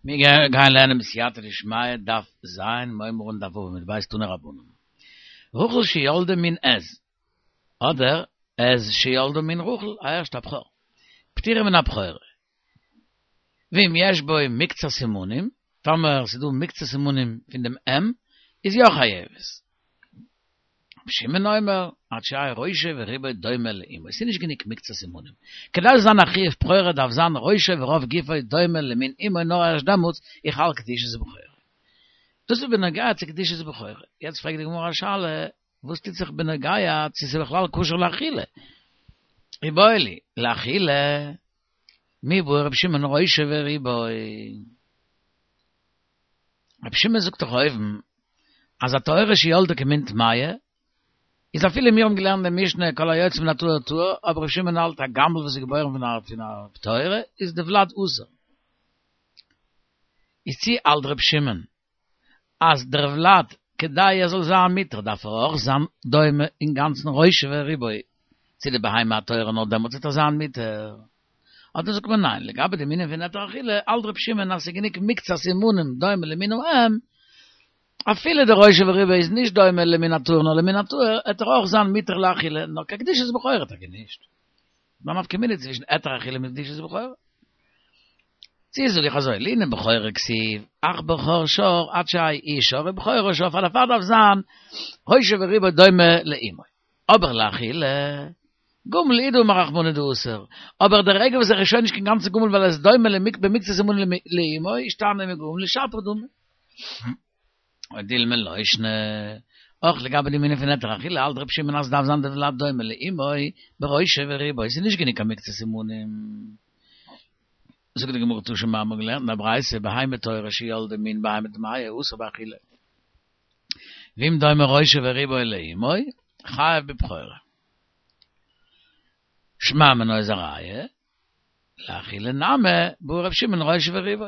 מיר גייען לערנען בסייעתא דשמיא דף ז, מ'הייבן אן דף ו' עמוד ב' תנו רבנן. רחל שילדה מין עז, אדער עז שילדה מין רחל, הערשט א בכור. פטורה מן הבכורה. ואם יש בו מקצת סימנים, טאמער ס'איז דא מקצת סימנים פון דעם אם, איז יא חייבת. רבי שמעון אומר, עד שיהא ראשו ורובו דומה לאמו, עס איז נישט גענוג מקצת סימנים. כדי ס'זאל זיין א חיוב בכורה דארף זיין ראשו ורוב גופו דומה למין אמו נאר ערשט דעמאלטס איז חל קדושת בכורה. דאס איז בנוגע צו קדושת בכורה. יעצט פרעגט די גמרא א שאלה, וואס טוט זיך בנוגע צו ס'איז בכלל כשר לאכילה? איבעיא להו, לאכילה, מי בעי רבי שמעון ראשו ורובו? רבי שמעון זאגט דאך אויבן אז א טהורה שילדה כמין טמאה איז אפילו מיר האבן געלערנט די משנה כל היוצא מן הטהור טהור אבער רבי שמעון האלט א גמל וואס איז געבוירן פון א פון א טהורה איז די ולד אסור. איז צו האלט רבי שמעון אז דער ולד כדי ער זאל זיין מותר דארף ער אויך זיין דומה אינגאנצן ראשו ורובו צו די בהמה הטהורה נאר דעמאלטס וועט ער זיין מותר. אדער זאגט מען ניין, לגבי דעם ענין פון היתר אכילה, האלט ר' שמעון אז ס'איז גענוג מקצת סימנים דומה למין האם, אפילו די ראשו ורובו איז נישט דומה למין הטהור נאר למין הטהור, העט ער אויך זיין מותר לאכילה, נאר קיין קדושת בכורה טאקע נישט. מה נפקא מינה צווישן היתר אכילה מיט קדושת בכורה? צי זאג איך אזוי, לענין בכורה כתיב, אך בכור שור עד שיהא איש שור ובכורה שור, פאר דערפאר דארף זיין ראשו ורובו דומה לאמו. אבער לאכילה, גמל הוא דאמר רחמנא דאסור, אבער דער רגע וואס ער איז שוין נישט קיין גאנצע גמל ווייל ער איז דומה במקצת סימנים לאמו, אישתני מגמל לשפיר דמי. או דילמא לא שנא, אויך לגבי דעם ענין פון היתר אכילה האלט ר' שמעון אז עס דארף זיין די ולד דומה לאמו בראשו ורובו, עס איז נישט גענוג קיין מקצת סימנים. זאגט די גמרא תא שמע מ'האט געלערנט אין א ברייתא בהמה טהורה שילדה מין בהמה טמאה אסור באכילה. ואם דומה ראשו ורובו לאמו, חייב בבכורה. שמע מינה איז א ראיה, לאכילה נמי, בעי ר' שמעון ראשו ורובו.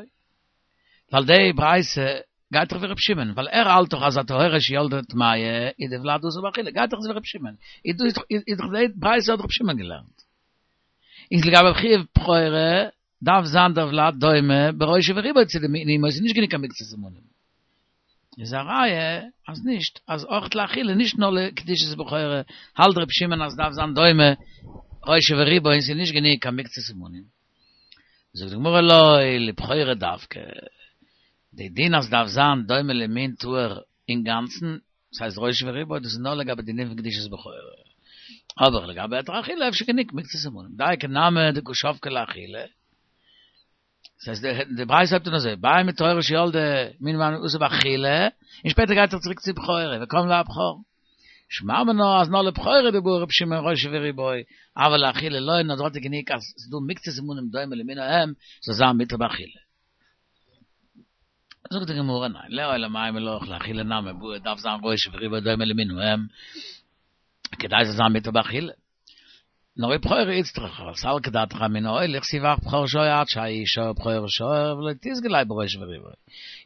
ווייל די ברייתא גייט דאך ווי ר' שמעון, ווייל ער האלט דאך אז א טהורה שילדה טמאה איז די ולד אסור באכילה, גייט דאך אזוי ווי ר' שמעון. איז דאך די ברייתא האט ר' שמעון געלערנט. איז לגבי חיוב בכורה דארף זיין דער ולד דומה בראשו ורובו צו די מין אמו, ס'איז נישט גענוג קיין מקצת סימנים. איז א ראיה אז נישט, אז אויך לאכילה, נישט נאר לקדושת בכורה, האלט ר' שמעון אז ס'דארף זיין דומה ראשו ורובו און ס'איז נישט גענוג קיין מקצת סימנים. זאגט די גמרא לא, לבכורה דווקא, די דין אז ס'דארף זיין דומה למין טהור אינגאנצן, דאס הייסט ראשו ורובו, דאס איז נאר לגבי די דין פון קדושת בכורה. אבער לגבי היתר אכילה אפשר גענוג מקצת סימנים. דייקא נמי דקא שבקה לאכילה. דאס הייסט די ברייתא הייבט אן אזוי, בהמה טהורה שילדה מין בהמה אסור באכילה, און שפעטער גייט ער צוריק צו בכורה, וקם ליה בבכור. שמע מינה אז נאר לבכורה דבעי רבי שמעון ראשו ורובו, אבל לאכילה לא, נאר דארט איז גענוג אז ס'איז דא מקצת סימנים דומה למין האם, זאל זיין מותר באכילה. זאגט די גמרא ניין, לעולם אימא לך לאכילה נמי בעי דארף זיין ראשו ורובו דומה למין האם, כדי זאל זיין מותר באכילה. נאר לבכורה איצטריכא, סלקא דעתך אמינא אוי לכתיב אך בכור שור עד שיהא איש שור ובכורה שור ולא תיסגי ליה בראשו ורובו.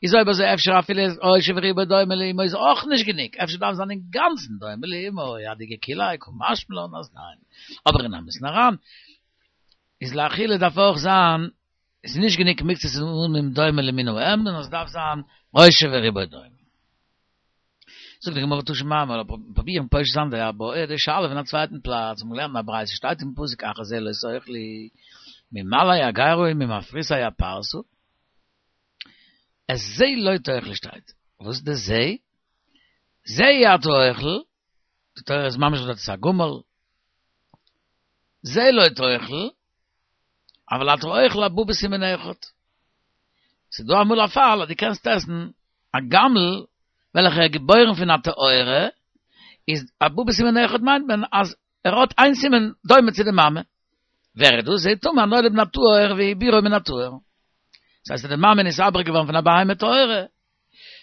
איז אויב אזוי אפשר אפילו ראשו ורובו דומה לאמו איז אויך נישט גענוג, אפשר דארף זיין אינגאנצן דומה לאמו, אדאיכא כוליה קא משמע לן אז ניין. אבער אין אמת'ן אריין איז לאכילה דארף אויך זיין עס איז נישט גענוג מקצת סימנים דומה למין האם, נאר עס דארף זיין ראשו ורובו דומה. זאגט די גמרא תא שמע, מ'זאל פרובירן פושט זיין די בעיא די שאלה פון א צווייטן פלאץ, מ'האט געלערנט אין א ברייתא שטייט אין פסוק אך את זה לא תאכלו ממלאי הגרה וממפריסי הפרסה, את זה לא תאכלו שטייט, וואס איז די זה? זה אי אתה אוכל, די תורה איז ממשיך דארט עס איז א גמל, זה לא תאכל, אבל אתה אוכל הבא בסימן אחד. ס'איז דא אמאל א פאל אז דו קענסט עסן א גמל וועלכער איז געבוירן פון א טהורה, איז הבא בסימן אחד מיינט מען אז ער האט איין סימן דומה צו די מאמע. ווער איז דאס? זה טמא הנולד מן הטהור ועיבורו מן הטהור. דאס הייסט אז די מאמע איז נתעבר געווארן פון א בהמה טהורה,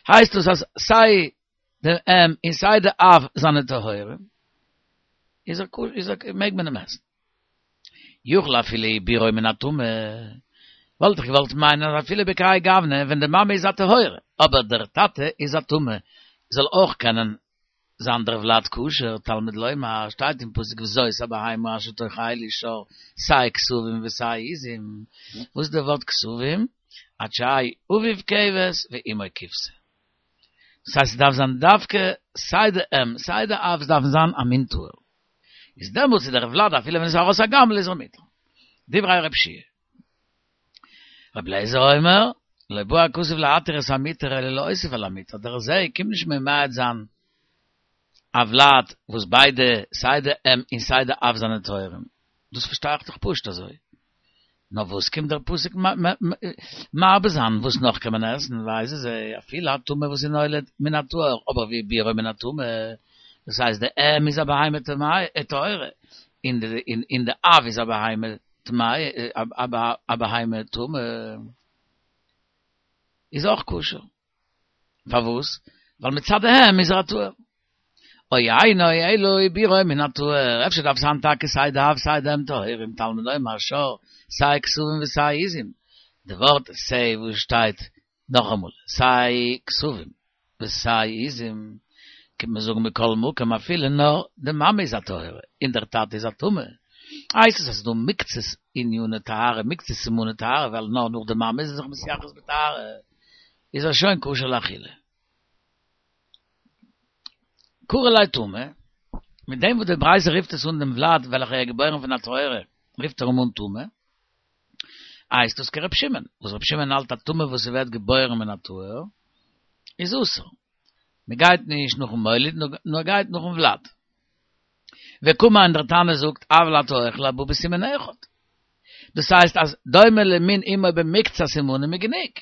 הייסט דאס אז סיי די אם און סיי די אב זענען טהורים, איז ער כשר, איז ער מעג מען אים עסן. יכול אפילו עיבורו מן הטמא, וואלט איך געוואלט מיינען אז אפילו בכהאי גוונא ווען די מאמע איז א טהורה אבער דער טאטע איז א טמא זאל אויך קענען זיין דער ולד כשר, תלמוד לומר, שטייט אין פסוק וזאת הבהמה אשר תאכלו שור, סיי כשבים וסיי עזים, וואס איז די ווארט כשבים? עד שיהא אביו כבש ואמו כבשה. דאס הייסט ס'דארף זיין דווקא סיי די אם סיי די אב דארפן זיין א מין טהור. איז דעמאלטס איז דער ולד אפילו ווען עס איז ארויס א גמל איז ער מותר. דברי רב שיע. רבי אליעזר אומר, לא בא הכתוב להתיר את המותר אלא להוסיף על המותר, דער זה קומט נישט ממעט זיין א ולד וואס ביידע סיי די אם און סיי די אב זענען טהורים, דאס פארשטיי איך דאך פשוט אזוי. נאר וואס קומט דער פסוק מרבה זיין וואס נאך קען מען עסן, ואיזה זה, אפילו א טמא וואס איז נולד מן הטהור, אבער והעבירו מן הטמא, דאס הייסט די אם איז א בהמה טהורה, און די אב איז א בהמה טמאה, א בהמה טמאה, איז אויך כשר. פארוואס? ווייל מצד האם איז ער א טהור. או אינו אלא העבירו מן הטהור, אפשר דארף זיין טאקע סיי די אב סיי די אם טהורים, תלמוד לומר שור, סיי כשבים וסיי עזים, די ווארט סיי וואס שטייט נאכאמאל, סיי כשבים וסיי עזים, קומט מען זאגן מכל מקום אפילו נאר די מאמע איז א טהורה און דער טאטע איז א טמא, הייסט עס אז ס'איז דא מקצת עניני טהרה, מקצת סימני טהרה, ווייל נאר נאך די מאמע איז ער זיך מתייחס בטהרה, איז ער שוין כשר לאכילה. קרי ליה טמא, מיט דעם וואס די ברייתא רופט עס אן דעם ולד וועלכער איז געבוירן פון א טהורה, רופט ער אים אן טמא, הייסט דאס כר' שמעון, וואס ר' שמעון האלט א טמא וואס ס'ווערט געבוירן מן הטהור איז אסור. מ'גייט נישט נאכן מוליד נאר גייט נאכן ולד. וקאמר און דער תנא זאגט אבל אתה אוכל הבא בסימן אחד. דאס הייסט אז דומה למין אמו במקצת סימנים איז גענוג.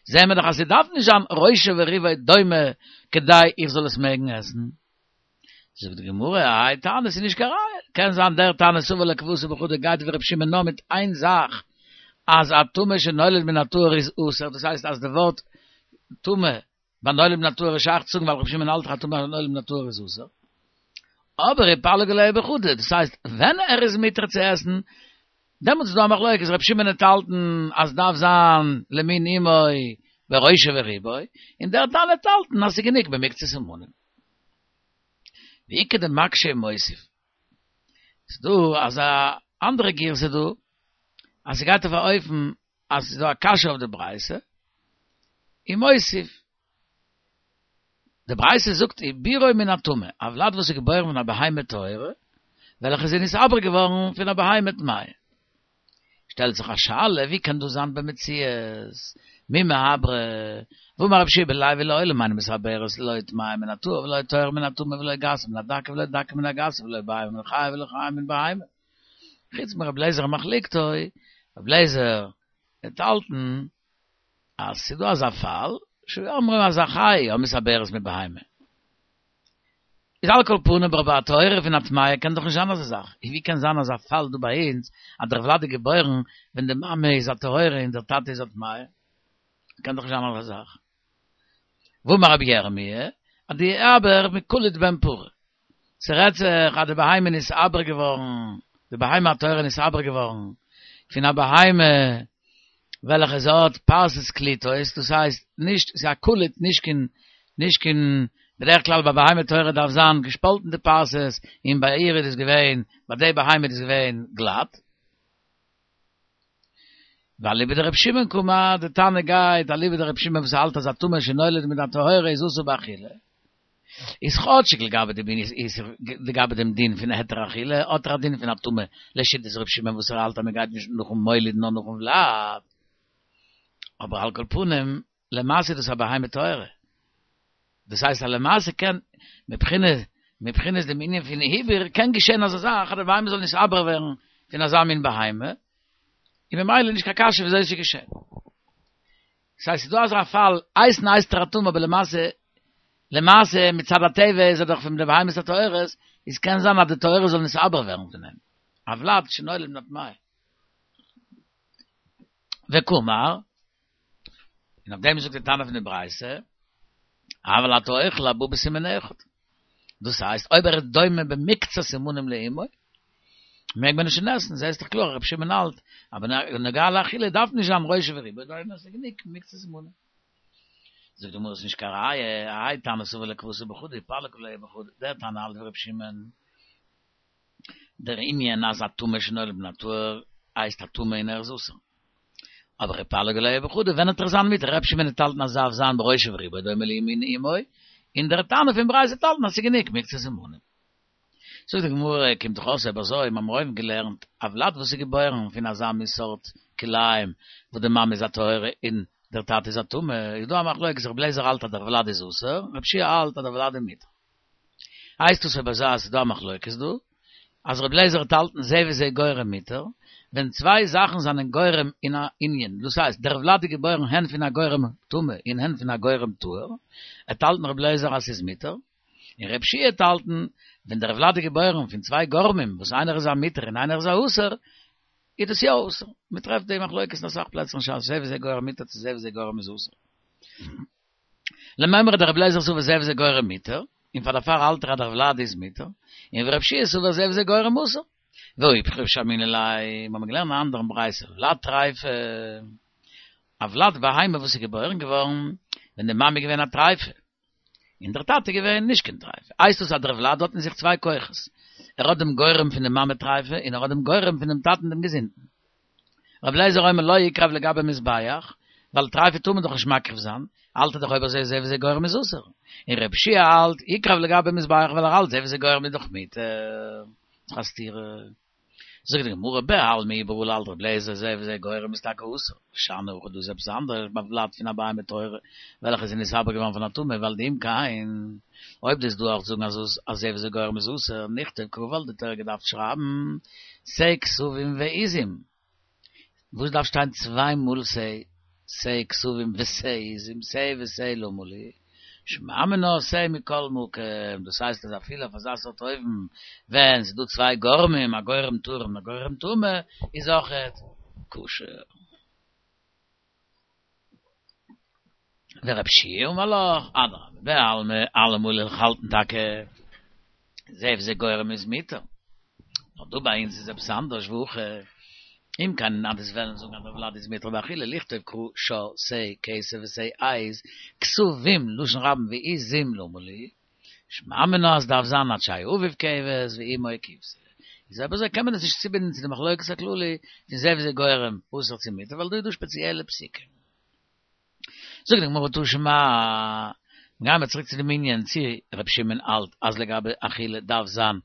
זעהן מיר דאך אז ס'דארף נישט זיין ראשו ורובו דומה כדי איך זאל עס מעגן עסן. זאגט די גמרא, האי תנא ס'איז נישט קיין ראיה, קען זיין דער תנא סבר לה כוותיה בחדא גייט ווי ר' שמעון נאר מיט איין זאך אז א טמא שנולד מן הטהור איז אסור, דאס הייסט אז די ווארט טמא ביי נולד מן הטהור איז שייך צו זאגן ווייל ר' שמעון האלט דאך א טמא נולד מן הטהור איז אסור. אבער ופליגא עליה בחדא, דאס הייסט ווען ער איז מותר צו עסן, דעמאלטס איז דא א מחלוקת, ר' שמעון וועט האלטן אז דארף זיין למין אמו בראשו ורובו, און דער תנא וועט האלטן אז ס'איז גענוג במקצת סימנים. ואיכא דמקשי ומוסיף. ס'איז דא אזא אנדערע גירסא דא, אז ס'גייט אויף א אופן אז ס'איז דא א קשיא אויף די ברייתא, ומוסיף. די ברייתא זאגט העבירו מן הטמא, א ולד וואס איז געבוירן פון א בהמה טהורה, וועלכע איז נתעבר געווארן פון א בהמה טמאה. שטעלט זיך א שאלה, ווי קען דאס זיין במציאות? מי מיעברא? והאמר רבי יהושע בן לוי לעולם אינה מתעברת לא טמאה מן הטהור ולא טהור מן הטמא ולא גסה מן הדקה ולא דקה מן הגסה ולא בהמה מן החיה ולא חיה מן בהמה. חוץ מרבי אליעזר ומחלוקתו, רבי אליעזר וועט האלטן אז ס'איז דא אזא פאל, שהיו אומרים אז א חיה המתעברת מבהמה. איז על כל פנים אבער ביי א טהורה פון א טמאה קען דאך נישט זיין אזא זאך, ווי קען זיין אזא פאל דא ביי אונז אז דער ולד איז געבוירן ווען די מאמע איז א טהורה און דער טאטע איז א טמאה? קען דאך נישט זיין אזא זאך. והאמר רבי ירמי' אז דאיעבר מקוליט בן פרה, ס'רעדט זיך אז די בהמה איז נתעבר געווארן, די בהמה הטהורה איז נתעבר געווארן פון א בהמה וועלכע זי האט פרסות קליטות, דאס הייסט נישט, ס'איז א קוליט נישט קיין, נישט קיין, בדרך כלל ביי בהמה טהורה דארף זיין געשפאלטן די פרסות, און ביי איר איז דאס געווען, ביי די בהמה איז דאס געווען גלאט. ואליבא דרבי שמעון קאמר, די תנא גייט אליבא דרבי שמעון וואס האלט אז א טמא שנולד מן הטהורה איז אסור באכילה. איז כאטשיג לגבי די בין איז לגבי דעם דין פון היתר אכילה האט ער א דין פון א טמא לשיטת ר' שמעון וואס ער האלט אז מען גייט נישט נאכן מוליד נאר נאכן ולד, אבער על כל פנים למעשה איז דאס א בהמה טהורה, דאס הייסט אז למעשה קען מבחינת מבחינת דעם ענין פון עיבור קען געשען אזא זאך אז די בהמה זאל נתעבר ווערן פון אזא מין בהמה, און ממילא נישט קיין קשיא וויאזוי עס איז געשען. ס'הייסט ס'איז דא אזא פאל, הייסן הייסט ער א טמא אבער למעשה, למעשה מצד הטבע איז ער דאך פון די בהמות הטהורות, איז קען זיין אז די טהורה זאל נתעבר ווערן פון אים, א ולד שנולד מן הטמאה. וקאמר, און אויף דעם זאגט די תנא פון די ברייתא, אבל אתה אוכל הבא בסימן אחד. דאס הייסט אויב ער איז דומה במקצת סימנים לאמו, מעג מען שוין עסן, זעסט דאך קלאר רבי שמעון האלט, אז בנוגע לאכילה דארף נישט זיין ראשו ורובו, דהיינו עס איז גענוג מקצת סימנים. זאגט די גמרא עס איז נישט קיין ראיה, האי תנא סבר לה כוותיה בחדא ופליג עליה בחדא, דער תנא האלט ווי רבי שמעון, דער ענין אז א טמא שנולד מן הטהור הייסט א טמא און ער איז אסור. אבער איפליגו עליה בחדא, ווען וועט ער זיין מותר, ר' שמעון וועט האלטן אז ס'דארף זיין בראשו ורובו דומה למן אמו, און דער תנא פון ברייתא וועט האלטן אז ס'איז גענוג מקצת סימנים. זאגט די גמרא, קומט דאך אויס אויב אזוי, מ'האמיר אויבן געלערנט, א ולד וואס איז געבוירן פון אזא מין סארט כלאים וואס די מאמע איז א טהורה און דער טאטע איז א טמא, איז דא א מחלוקת, רבי אליעזר האלט אז דער ולד איז אסור, רבי יהושע האלט אז דער ולד איז מותר. הייסט עס אויב אזוי אז ס'איז דא א מחלוקת דא, אז רבי אליעזר וועט האלטן זה וזה גורם מותר, ווען צוויי זאכן זענען גורם אין א ענין, דאס הייסט דער ולד איז געבוירן הן פון א גורם טמא און הן פון א גורם טהור, וועט האלטן רבי אליעזר אז ס'איז מותר, און רבי יהושע וועט האלטן ווען דער ולד איז געבוירן פון צוויי גורמים וואס איינער איז א מותר און איינער איז א אסור, איז דאס יא אסור. מ'טרעפט די מחלוקת אין אסאך פלעצער אין ש"ס, זה וזה גורם מותר צו זה וזה גורם איז אסור. למימרא דרבי אליעזר סבר זה וזה גורם מותר, און פאר דערפאר האלט ער אז דער ולד איז מותר, און ורבי יהושע סבר זה וזה גורם אסור. ואיפכא שמעינן ליה, מיר האבן געלערנט אן אנדערן ברייתא, ולד טריפה, א ולד בהמה וואס איז געבוירן געווארן ווען די מאמע איז געווען א טריפה, און דער טאטע איז געווען נישט קיין טריפה, הייסט עס אז דער ולד האט אין זיך צוויי כוחות, ער האט דעם גורם פון די מאמע טריפה און ער האט דעם גורם פון דעם טאטן דעם געזונטן. רבי אליעזר אומר לא יקרב לגבי מזבח, ווייל טריפה טאר מען דאך נישט מקריב זיין, האלט ער דאך אויב אזוי זה וזה גורם איז אסור, און רבי יהושע האלט יקרב לגבי מזבח ווייל ער האלט זה וזה גורם איז דאך מותר. ס'איז א סתירה. זאגט די גמרא בעלמא איבעראל האלט רבי אליעזר זה וזה גורם איז טאקע אסור, שאני הכא דא איז עפעס אנדערש ביי ולד פון א בהמה טהורה וועלכע איז נתעבר געווארן פון א טמא ווייל דאם כן אויב דו'סט דא אויך זאגן אז אז זה וזה גורם איז אסור נכתוב קרא וואלט די תורה געדארפט שרייבן שה כשבים ועזים וואס דארף שטיין צוויי מאל שה שה כשבים ושה עזים שה ושה למה לי שמע מינה שה מכל מקום, דאס הייסט אז אפילו אויף אזא סארט אופן ווען ס'איז דא צוויי גורמים, א גורם טהור און א גורם טמא, איז אויכעט כשר. ורבי יהושע אמר לך, אדרבה, בעלמא, אלעמאל וועל איך האלטן טאקע זה וזה גורם איז מותר. נאר דא ביי אונז איז עפעס אנדערש והכא אם כן אז דו'סט וועלן זאגן אז דער ולד איז מותר באכילה לכתוב קרא שור שה כשב ושה עז כשבים לשון רבים ועזים למה לי שמע מינה אז דארף זיין עד שיהא אביו כבש ואמו כבשה איז אויב אזוי קען מען עס נישט צובינדן צו די מחלוקת הכללי פון זה וזה גורם אסור צו מותר ווייל דא איז דא שפעציעלע פסוקים. זאגט די גמרא תא שמע, גייען מיר צוריק צו דעם ענין צו ר' שמעון האלט אז לגבי אכילה דארף זיין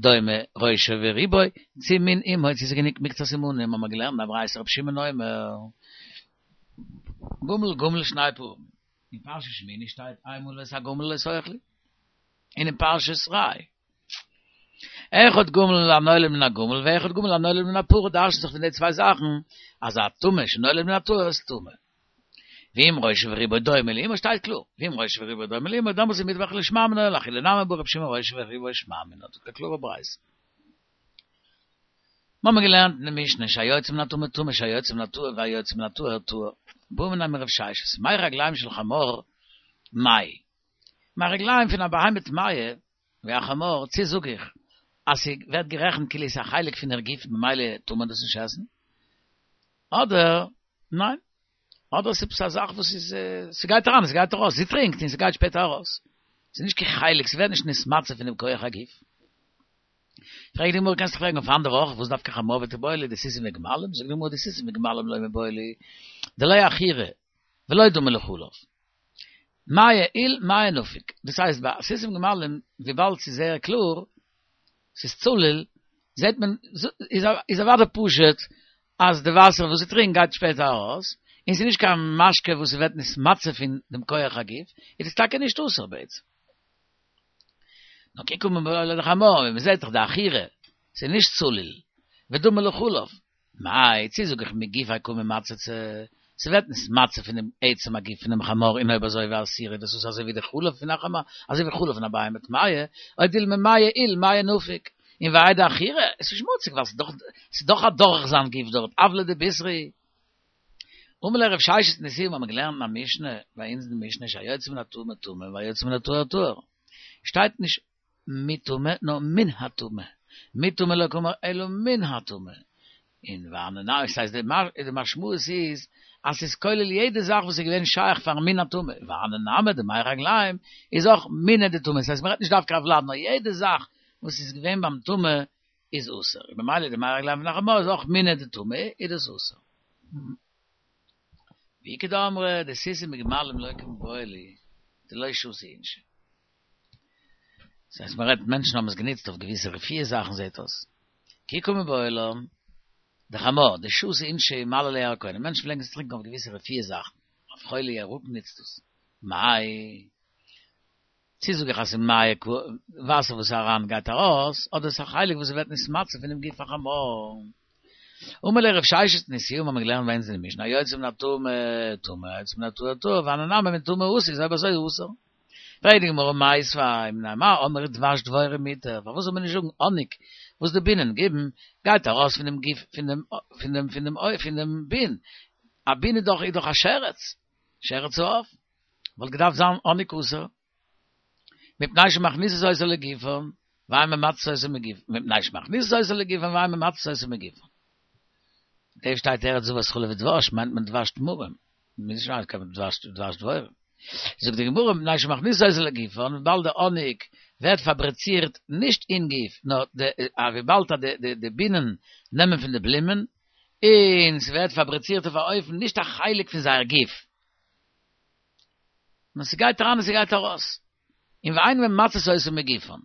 דומה ראשו ורובו צו מן אמו צו ס'איז גענוג מקצת סימנים האבן מיר געלערנט א ברייתא ר' שמעון אומר גמל גמל שני פעמים אין פרשת שמיני שטייט איינמאל ואת הגמל לא תאכלו און אין פרשת ראה אחד גמל הנולד מן הגמל ואחד גמל הנולד מן הפרה דרש'נט זיך פון די צוויי זאכן אז א טמא שנולד מן הטהור איז טמא. ואם ראשו ורובו דומה לאמו שטייט קלאר, ואם ראשו ורובו דומה לאמו דאמאלס איז מותר באכילה שמע מינה לאכילה נמי בעי רבי שמעון ראשו ורובו שמע מינה דאס איז א קלארע ברייתא. מ'האמיר געלערנט אין די משנה שהיוצא מן הטמא טמא שהיוצא מן הטהור והיוצא מן הטהור טהור. בעא מיניה מרב ששת, מי רגליים של חמור מאי? מי רגליים פון א בהמה טמאה ווי א חמור, צו זאג איך אז ס'ווערט גערעכנט כאילו ס'איז א חלק פון איר גוף ממילא טאר מען דאס נישט עסן? אדער ניין, אדער ס'איז עפעס א זאך וואס איז, ס'גייט אריין און ס'גייט ארויס, זי טרינקט און ס'גייט שפעטער ארויס, ס'איז נישט קיין חלק, ס'ווערט נישט נתמצא פון דעם כח הגוף. פרעגט די גמרא, קענסט דאך פרעגן אויף אנדערע אויך, וואס דווקא חמור ותיבעי ליה דסוסים וגמלים? זאגט די גמרא, דסוסים וגמלים לא מיבעיא להו, דלא עכירי ולא דמי לחלב. מיא עיל מיא נפיק, דאס הייסט ביי סוסים גמלים וויבאלד ס'איז זייער קלאר, ס'איז צלול, זעט מען, איז אוודאי פשוט אז די וואסער וואס זי טרינקט גייט שפעטער ארויס, און ס'איז נישט קיין משקה וואס ס'ווערט נתמצא פון דעם כח הגוף, איז עס טאקע נישט אסור בעצם. נאר כי קא מיבעיא ליה לחמור, ווען מ'זעט דאך דעכירי, ס'איז נישט צלול, ודמי לחלב, מאי, צי זאג איך מגופיה קא מימצצא, ס'ווערט נתמצא פונעם עצם הגוף פונעם חמור און אויב אזוי ואסירא דאס איז אזוי ווי די חלב פון א חמור, אזוי ווי חלב פון א בהמה טמאה, או דילמא מיא עיל מיא נפיק, און והאי דעכירי, עס איז שמוציג ווייל ס'איז דאך אדורך זיין גוף דארט, עוולא דבישרא. אמר ליה רב ששת מתניתין האבן מיר געלערנט אין א משנה, ביי אונז אין די משנה שהיוצא מן הטמא טמא והיוצא מן הטהור טהור, שטייט נישט מטמא נאר מן הטמא, מטמא לא קאמר אלא מן הטמא, און והני נמי, ס'הייסט די משמעות איז אז ס'איז כולל יעדע זאך וואס איז געווען שייך פארן מין הטמא, והני נמי די מי רגליים איז אויך מיניה דטמא, ס'הייסט מ'רעדט נישט דווקא א ולד נאר יעדע זאך וואס איז געווען ביים טמא איז אסור, און ממילא די מי רגליים פון א חמור איז אויך מיניה דטמא איז דאס אסור. ואיכא דאמרי דסוסים וגמלים לא קמיבעיא לי דלא שתו אינשי. דאס הייסט מען רעדט מענטשן האבן עס גענוצט אויף געוויסע רפואה זאכן זעט אויס. כי קא מיבעיא לן דחמר דשתו אינשי ומלי לירקונא מענטשן פלעגן עס טרינקען אויף געוויסע רפואה זאכן אויף חולי ירקון נוצט דאס. מאי. צי זאג איך אז ס'איז מיא וואסער וואס איז אריין גייט ארויס, אדער ס'איז א חלק וואס ווערט נתמצא פונעם גוף החמור. אמר ליה רב ששת מתניתוה האבן מיר געלערנט ביי אונז אין די משנה היוצא מן הטמא טמא היוצא מן הטהור טהור והני נמי מטמא אתו איז אויב אזוי אסור. פרעגט די גמרא מיתיבי מפני מה אמרו דבש דבורים מותר פארוואס זאל מען נישט זאגן האניג וואס די בינען גיבן גייט ארויס פונעם גוף פון דעם פון דעם פון דעם פון דעם בין א בין איז דאך איז דאך א שרץ שרץ העוף. וואלט געדארפט זיין האניג אסור, מפני שמכניסות אותו לגופן, ואין ממצות אותו מגופן, מפני שמכניסות אותו לגופן ואין ממצות אותו מגופן. דא שטייט ארץ זבת חלב ודבש, מיינט מען דבש תמרים, נישט מיינט קיין דבש דבש דבורים. זאגט די גמרא מפני שמכניסות אותו לגופן, וויבאלד די האניג ווערט פאבריצירט נישט אין גוף, נאר די וויבאלד די די בינען נעמען פון די בלומען, און ס'ווערט פאבריצירט אויף א אופן נישט א חלק פון זייער גוף. נאר ס'גייט אריין און ס'גייט ארויס. און ואין ממצות אותו מגופן.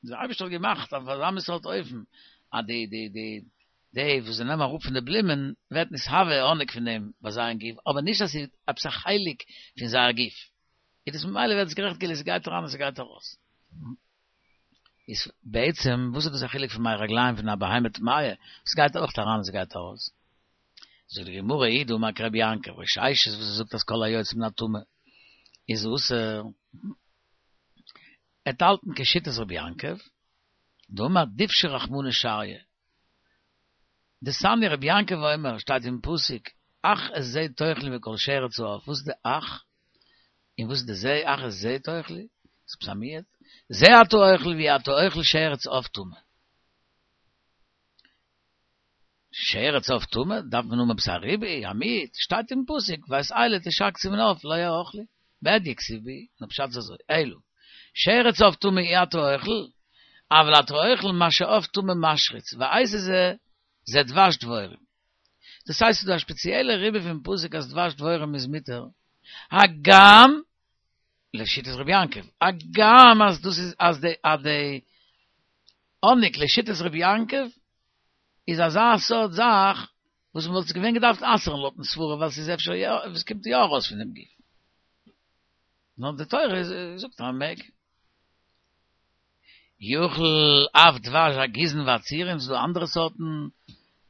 דער אייבערשטער האט געמאכט אויף אזא מין סארט אופן, אז די די די די וואס זיי נעמען אראפ פון די בלומען, ווערט נתהווה האניג פון דעם ביי זייער גוף, אבער נישט אז ס'איז עפעס א חלק פון זייער גוף. איז דאס ממילא ווערט עס גערעכנט כאילו ס'גייט אריין און ס'גייט ארויס. איז בעצם וואס איז דאס א חילוק פון מי רגליים פון א בהמה טמאה, ס'גייט אויך אריין און ס'גייט ארויס. זאגט די גמרא הוא דאמר כרבי יעקב רב ששת וואס ער זאגט אז כל היוצא מן הטמא איז אסור, וועט האלטן כשיטת רבי יעקב, דאמר דבשא רחמנא שריא, דתניא רבי יעקב אומר שטייט אין פסוק אך את זה תאכלו מכל שרץ העוף, וואס איז די אך? און וואס איז די זה אך את זה תאכלו? איז עפעס א מיעוט? זה אתה אוכל ואי אתה אוכל שרץ עוף טמא. שרץ עוף טמא? דארף מען האבן עפעס א ריבוי, א מיעוט? שטייט אין פסוק ואת אלה תשקצו מן העוף לא יאכלו. בהדיא כתיב בהו, נאר פשט איז אזוי, אלא שרץ עוף טמא אי אתה אוכל, אבל אתה אוכל מה שעוף טמא משריץ, ואיזה זה, זה דבש דבורים. דאס הייסט ס'איז דא א שפעציעלע ריבוי פון פסוק אז דבש דבורים איז מותר, הגם לשיטת רבי יעקב, הגם אז דאס איז אז די אז די האניג לשיטת רבי יעקב איז אזא סארט זאך וואס מ'וואלט עס געווען געדארפט אסר'ן לויט'ן סברא ווייל ס'איז אפשר יא עס קומט יא ארויס פון דעם גוף. נאר די תורה זאגט אז מ'מעג. יאכל אף דבש הגיזין והצירים, ס'איז דא אנדערע סארטן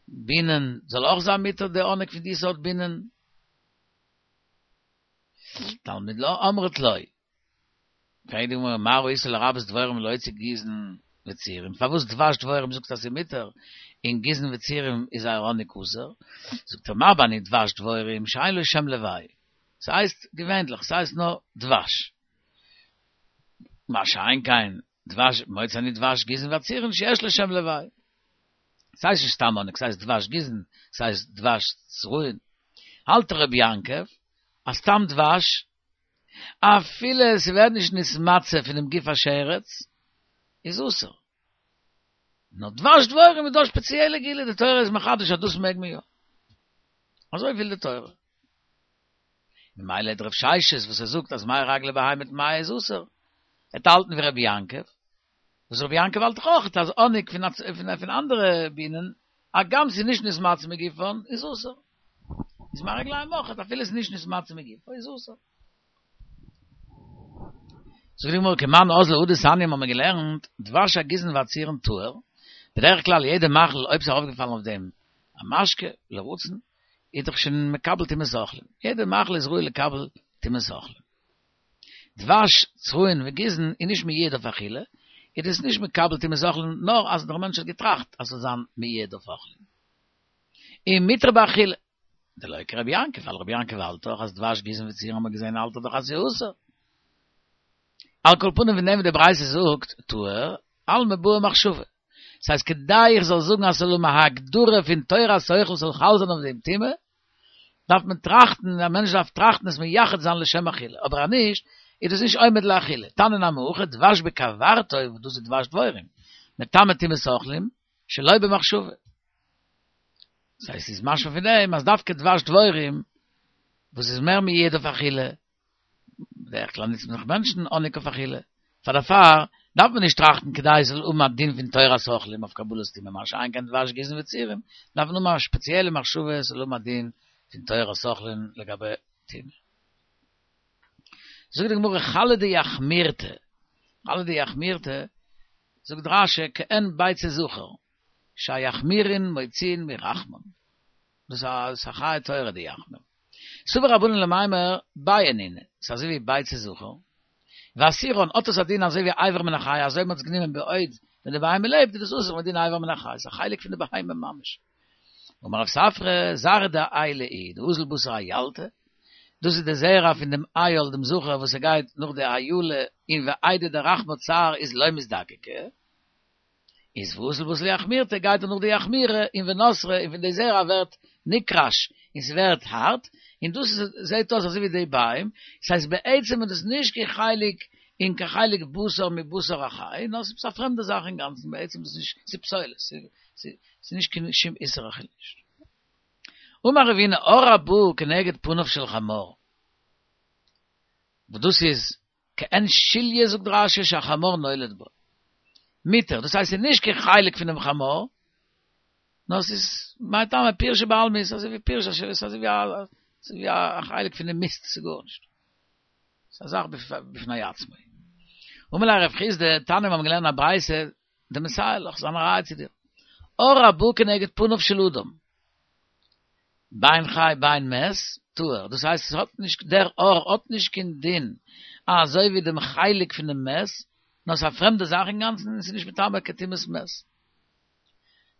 בינען, זאל אויך זיין מותר די האניג פון די סארט בינען? תלמוד לומר אמרת לא. פרעגט די גמרא מה ראית לרבות דבורים ולהוציא גיזין וצירים, פארוואס דבש דבורים זאגסטו אז ס'איז מותר און גיזין וצירים איז זייער האניג אסור? זאגט ער מרבה אני דבש דבורים שאין לו שם לוואי, ס'הייסט געווענדליך ס'הייסט נאר דבש, מה שאין כן דבש מוציא אני דבש גיזין וצירין שיש לו שם לוואי, ס'הייסט נישט סתם האניג ס'הייסט דבש גיזין ס'הייסט דבש צירין, האלט ר' יעקב אז סתם דבש אפילו עס ווערט נישט נתמצא פונעם גוף השרץ, איז אסור. נאר דבש דבורים איז דא א שפעציעלע גילוי, די תורה איז מחדש אז דאס מעג מען יא. אזוי וויל די תורה. ממילא דער רב ששת וואס ער זאגט אז מי רגלי בהמה טמאה איז אסור, וועט האלטן ווי רבי יעקב, וואס רבי יעקב האלט דאך אויך אז האניג פון אנדערע בינען, הגם ס'איז נישט נתמצא מגופן, איז אסור. איז מי רגליים אויך, אפילו ס'איז נישט נתמצא מגופו, איז אסור. זאגט די גמרא כמאן אזלא הא דתניא האבן מיר געלערנט, דבש הגיזין והצירין טהור, בדרך כלל יעדע מאכל אויב ס'איז ארויפגעפאלן אויף דעם א משקה לרצון, איז דאך שוין מקבל טומאת אוכלים, יעדע מאכל איז ראוי לקבל טומאת אוכלים. דבש צרעין וגיזין איז נישט מיועד אויף אכילה, איז דאס נישט מקבל טומאת אוכלים נאר אז דער מענטש האט געטראכט אז ס'זאל זיין מיועד אויף אוכלים. און מותר באכילה. דלא כרבי יעקב, ווייל רבי יעקב האלט דאך אז דבש גיזין וצירין האט מען געזען האלט ער דאך אז ס'איז אסור. על כל פנים פון דעם וואס די ברייתא זאגט טהור, אלמא בעי מחשבה. ס'הייסט כדי איך זאל זאגן אז ס'זאל האבן א הגדרה פון תורת אוכל ס'זאל חל זיין אויף דעם טומאה, דארף מען טראכטן, א מענטש דארף טראכטן עס מייחד זיין לשם אכילה, אבער אז נישט, איז דאס נישט עומד לאכילה. תניא נמי הכי, דבש בכוורתו, וואס דאס איז דבש דבורים, מטמא טומאת אוכלים, שלא במחשבה. דאס הייסט ס'איז משמע פון דעם אז דווקא דבש דבורים. וואס איז מער מועד אויף אכילה, בדרך כלל ניצט מען דאך מענטשן האניג אויף אכילה, פאר דערפאר דארף מען נישט טראכטן כדי עס זאל האבן א דין פון תורת אוכלים אויף קבלת טומאה, מה שאין כן דבש גיזין וצורים דארף מען האבן א שפעציעלע מחשבה עס זאל האבן א דין פון תורת אוכלים לגבי טומאה. זאגט די גמרא חלא דיחמירתא, חלא דיחמירתא, זאגט רש"י כעין ביצה זכר, שהיחמירין מוציאין מרחמן. דאס איז א חיה טהורה די יחמיר. סבור רבנן למימר ביעי נינהו, ס'איז אזוי ווי ביצה זכר. ואסירן האט עס א דין אזוי ווי אבר מן החי, אזוי מ'האט עס גענומען בעוד ווען די בהמה לעבט איז דאס אסור מדין אבר מן החי, ס'איז א חלק פון די בהמה ממש. אמר רב ספרא, זרעא דאיילא איהו דאזיל בתר איילתא, דאס איז די זרע פון דעם איל דעם זכר וואס ער גייט נאך די אילה און ואיידי דרחמה צער איז לא מזדקקא, איז ואזיל בתר יחמירתא גייט ער נאך די יחמירא און ונתרא און פון די זרע ווערט נקרש און ס'ווערט הארט און דאס זעהט אויס אזוי ווי די ביעים, ס'הייסט בעצם איז דאס נישט קיין חלק און קיין חלק בשר מבשר החי נאר ס'איז א פרעמדע זאך אינגאנצן בעצם איז נישט ס'איז פסולת ס'איז נישט קיין שום איסור אכילה נישט. אמר רבינא עור הבא כנגד פניו של חמור וואס דאס איז כעין שליה זאגט רש"י שהחמור נולד בה. מותר, דאס הייסט ס'איז נישט קיין חלק פונעם חמור, נאר ס'איז מאי טעמא פירשא בעלמא איז אזוי ווי פירשא ש ס אזוי ווי א חלק פונעם מיסט ס'איז גארנישט. ס'איז א זאך בפני עצמו. אמר ליה רב חסדא, תניא מיר האבן געלערנט א ברייתא, דמסייע לך, ס'איז א ראיה צו דיר. עור הבא כנגד פניו של אדם. בין חי בין מת, טהור, דאס הייסט עס האט נישט, דער עור האט נישט קיין דין אזוי ווי דעם חלק פון דעם מת, נאר עס איז א פרעמדע זאך אינגאנצן און עס איז נישט מטמא קיין טומאת מת.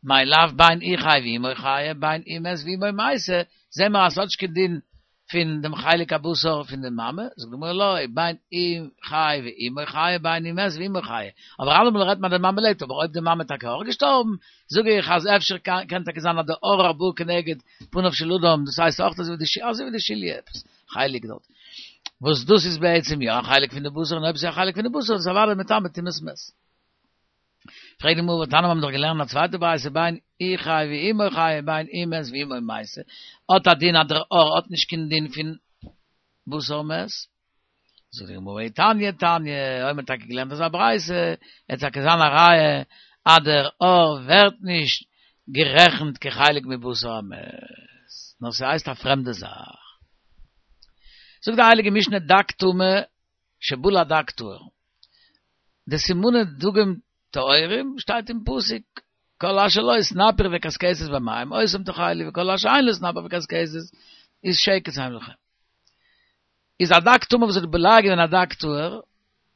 מאי לאו בין הוא חי ואמו חיה, בין הוא מת ואמו מתה, זעהן מיר אז עס האט נישט קיין דין פון דעם חלק הבשר פון די מאמע, זאגט די גמרא לא, בין הוא חי ואמו חיה בין הוא מת ואמו חיה, אבער אלעמאל רעדט מען אז די מאמע לעבט, אבער אויב די מאמע איז טאקע אויך געשטארבן, זאג איך אז אפשר קען טאקע זיין אז די עור הבא כנגד פניו של אדם, דאס הייסט אויך אזוי ווי די שליה עפעס חלק דארט, וואס דאס איז בעצם יא א חלק פון די בשר, און אויב עס איז א חלק פון די בשר איז עס אוודאי מטמא טומאת מת. פרעגט די גמרא והתניא מיר האבן דאך געלערנט א צווייטע ברייתא בין הוא חי ואמו חיה בין הוא מת ואמו מתה האט א דין אז דער עור האט נישט קיין דין פון בשר מת זאגט די גמרא אי תניא תניא אויב מ'האט טאקע געלערנט אזא ברייתא וועט טאקע זיין א ראיה אז דער עור ווערט נישט גערעכנט כחלק מבשר המת נאר ס'הייסט א פרעמדע זאך זאגט די הייליגע משנה דג טמא שבלע דג טהור. די סימני דגים טהורים שטייט אין פסוק, כל אשר לו סנפיר וקשקשת במים אותם תאכלו וכל אשר אין לו סנפיר וקשקשת איז שקץ הם לכם. איז א דג טמא וואס האט בולע געווען א דג טהור,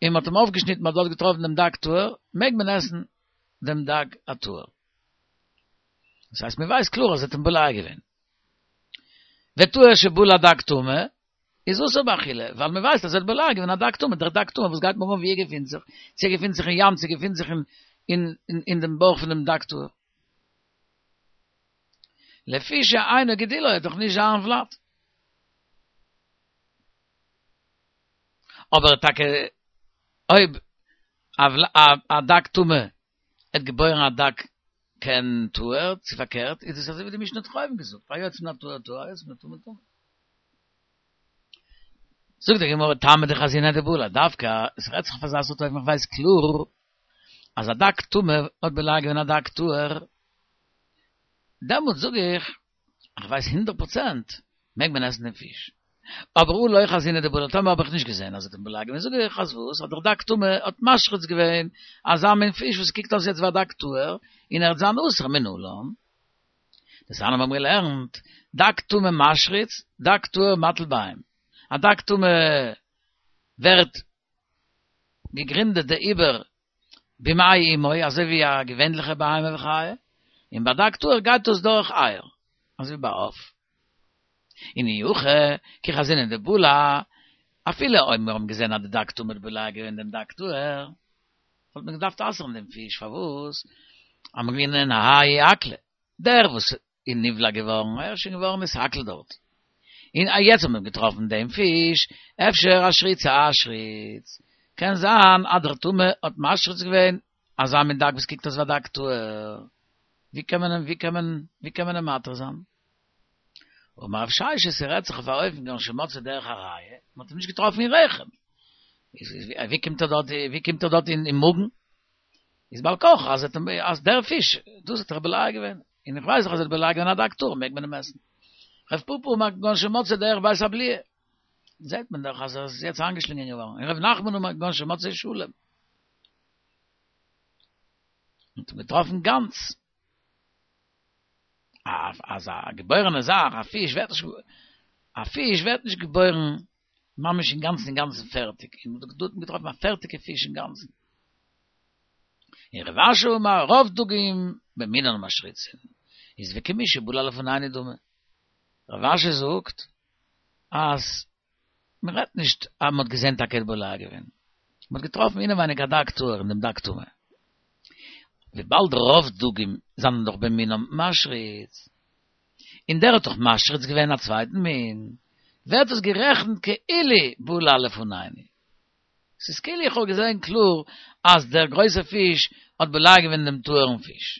און מ'האט אים אויפגעשניטן מ'האט דארט געטראפן דעם דג טהור, מעג מען עסן דעם דג הטהור. דאס הייסט מ'ווייסט קלאר אז ער האט אים בולע געווען. וטהור שבלע דג טמא, איז אסור באכילה, ווייל מען ווייסט אז ער האט בולע געווען א דג טמא, דער דג טמא וואס גייט מיר אן ווי ער געפינט זיך, צו ער געפינט זיך אין ים צו ער געפינט זיך אין אין דעם בויך פון דעם דג טהור. לפי שאינו גידולו איז דאך נישט זיין ולד. אבער טאקע אויב א דג טמא האט געבוירן א דג כעין טהור, צו פארקערט, איז עס אזוי ווי די משנה האט דאך אויבן געזאגט, היוצא מן הטהור טהור, היוצא מן הטמא טמא. זאגט די גמרא טעמא דחזיניה דבלע, דווקא עס רעדט זיך אויף אזא סארט אופן איך ווייס קלאר אז א דג טמא האט בולע געווען א דג טהור, דעמאלטס זאג איך איך ווייס הונדערט פראצענט מעג מען עסן דעם פיש. אבער הא לא חזיניה דבלע, טאמער האב איך נישט געזען אז ער האט אים בולע געווען זאג איך אז וואס אז דער דג טמא האט משריץ געווען אזא מין פיש וואס קוקט אויס יעצט ווי א דג טהור און ער וועט זיין אסור מנלן. דתניא מיר האבן געלערנט, דג טמא משריץ, דג טהור מטיל ביעים. א דג טמא ווערט געגרינדעט די עובר במעי אמו, אזוי ווי א געווענליכע בהמה וחיה, און ביי דג טהור גייט דאס דורך אייער, אזוי ווי ביי עוף. און אי הכי, כי חזינן דבלע, אפילו אויב מיר האבן געזען אז די דג טמא האט בולע געווען דעם דג טהור, וואלט מען געדארפט אסר'ן דעם פיש, פארוואס? אמרינן האי אכליה, דער וואס איז נבלע געווארן, ער איז שוין געווארן נתעכל דארט, און יעצט האט מען געטראפן דעם פיש, אפשר אשרוצי אשריץ, קען זיין אז דער טמא האט משריץ געווען אזא מין דג וואס קוקט אויס ווי א דג טהור, ווי קען מען ווי קען מען ווי קען מען אים מתיר זיין? אמר רב ששת ס'רעדט זיך אויף א אופן כגון שמצאו דרך הראיה, מ'האט אים נישט געטראפן אין רחם. ווי קומט ער דארט ווי קומט ער דארט אין מאגן? איז בעל כרחו אז אז דער פיש דאס האט ער בולע געווען, און איך ווייס דאך אז ער האט בולע געווען א דג טהור מעג מען אים עסן. רב פפא אמר כגון שמצאו דרך בית הבליעה, זעט מען דאך אז ער איז יעצט איינגעשלינגען געווארן, און רב נחמן אמר כגון שמצאו שלם. מ'האט אים געטראפן גאנץ. אז א געבוירענע זאך, א פיש ווערט נישט, א פיש ווערט נישט געבוירן ממש אינגאנצן אינגאנצן פערטיג, און דא האט מען געטראפן א פערטיגע פיש אינגאנצן. און רב אשי אמר רוב דגים במינן משריצין, איז וכמי שבלע לפנינו דמי. רב אשי זאגט אז מען רעדט נישט אז מען האט געזען טאקע ער האט בולע געווען, מען האט געטראפן אינעווייניג א דג טהור אין דעם דג טמא. וויבאלד רוב דגים זענען דאך במינם משריץ, און דער האט דאך משריץ געווען א צווייטן מין, ווערט עס גערעכנט כאילו בלע לפנינו. ס'איז כאילו איך האב געזען קלאר אז דער גרויסער פיש האט בולע געווען דעם טהור'ן פיש.